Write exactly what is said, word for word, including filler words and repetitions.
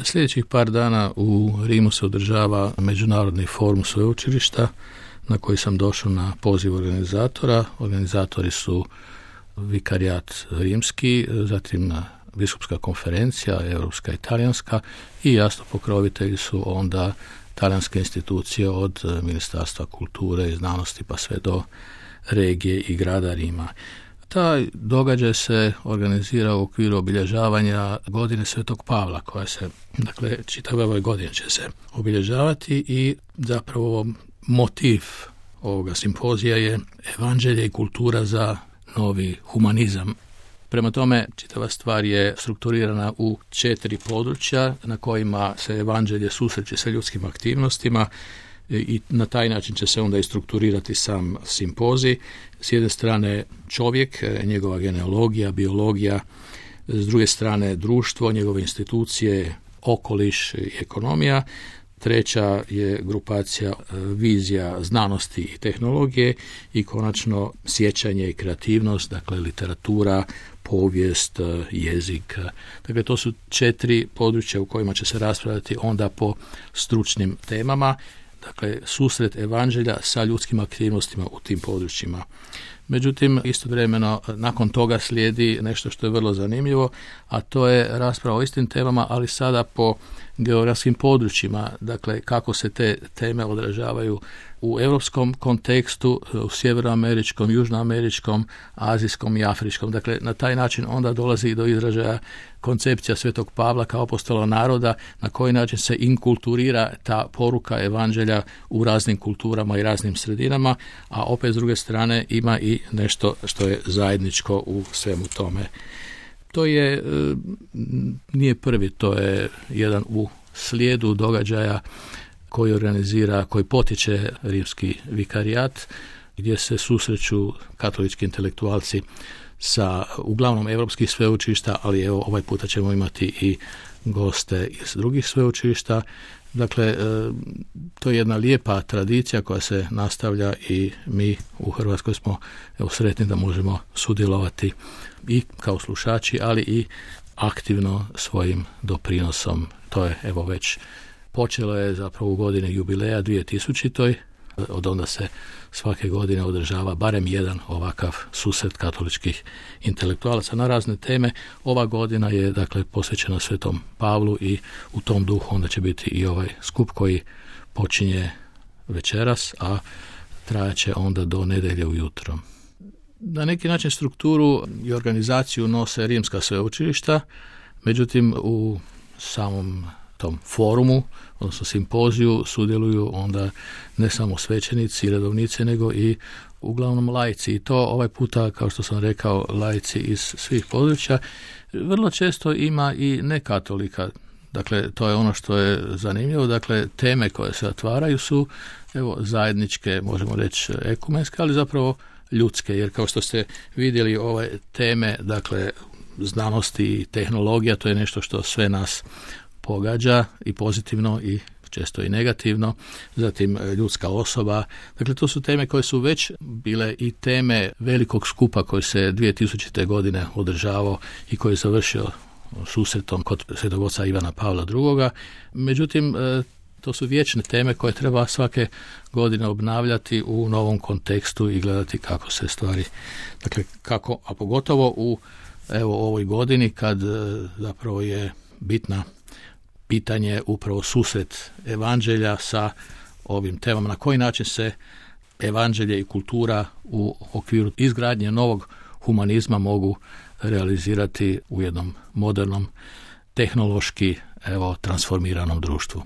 Sljedećih par dana u Rimu se održava Međunarodni forum sveučilišta na koji sam došao na poziv organizatora. Organizatori su Vikarijat rimski, zatim Biskupska konferencija, Europska i Talijanska i jasno pokrovitelji su onda talijanske institucije od Ministarstva kulture i znanosti pa sve do regije i grada Rima. Taj događaj se organizira u okviru obilježavanja godine Svetog Pavla, koja se, dakle, čitave ove godine će se obilježavati i zapravo motiv ovoga simpozija je evanđelje i kultura za novi humanizam. Prema tome, čitava stvar je strukturirana u četiri područja na kojima se evanđelje susreće sa ljudskim aktivnostima i na taj način će se onda i strukturirati sam simpozij. S jedne strane čovjek, njegova genealogija, biologija, s druge strane društvo, njegove institucije, okoliš i ekonomija. Treća je grupacija vizija znanosti i tehnologije i konačno sjećanje i kreativnost, dakle literatura, povijest, jezik. Dakle, to su četiri područja u kojima će se raspravljati onda po stručnim temama. Dakle, susret evanđelja sa ljudskim aktivnostima u tim područjima. Međutim, istovremeno nakon toga slijedi nešto što je vrlo zanimljivo, a to je rasprava o istim temama, ali sada po geografskim područjima, dakle kako se te teme odražavaju u europskom kontekstu, u sjevernoameričkom, južnoameričkom, azijskom i afričkom. Dakle, na taj način onda dolazi i do izražaja koncepcija Svetog Pavla kao apostola naroda, na koji način se inkulturira ta poruka evanđelja u raznim kulturama i raznim sredinama, a opet s druge strane ima i nešto što je zajedničko u svemu tome. To je, nije prvi, to je jedan u slijedu događaja koji organizira, koji potiče rimski vikarijat, gdje se susreću katolički intelektualci sa uglavnom europskih sveučilišta, ali evo ovaj puta ćemo imati i goste iz drugih sveučilišta. Dakle, to je jedna lijepa tradicija koja se nastavlja i mi u Hrvatskoj smo evo, sretni da možemo sudjelovati i kao slušači, ali i aktivno svojim doprinosom. To je evo već počelo je zapravo u godini jubileja dvije tisuće. Od onda se svake godine održava barem jedan ovakav susret katoličkih intelektualaca na razne teme. Ova godina je dakle posvećena Svetom Pavlu i u tom duhu onda će biti i ovaj skup koji počinje večeras, a trajaće onda do nedjelje ujutro. Na neki način strukturu i organizaciju nose rimska sveučilišta, međutim u samom tom forumu, odnosno simpoziju, sudjeluju onda ne samo svećenici i redovnici, nego i uglavnom laici. I to ovaj puta, kao što sam rekao, laici iz svih područja. Vrlo često ima i nekatolika. Dakle, to je ono što je zanimljivo. Dakle, teme koje se otvaraju su evo, zajedničke, možemo reći ekumenske, ali zapravo ljudske. Jer kao što ste vidjeli, ove teme, dakle, znanosti i tehnologija, to je nešto što sve nas pogađa i pozitivno i često i negativno, zatim ljudska osoba. Dakle, to su teme koje su već bile i teme velikog skupa koji se dvije tisućite. godine održavao i koji je završio susretom kod svetog oca Ivana Pavla drugoga. Međutim, to su vječne teme koje treba svake godine obnavljati u novom kontekstu i gledati kako se stvari, dakle, kako, a pogotovo u evo ovoj godini kad zapravo je bitna pitanje upravo susret evanđelja sa ovim temama, na koji način se evanđelje i kultura u okviru izgradnje novog humanizma mogu realizirati u jednom modernom, tehnološki, evo, transformiranom društvu.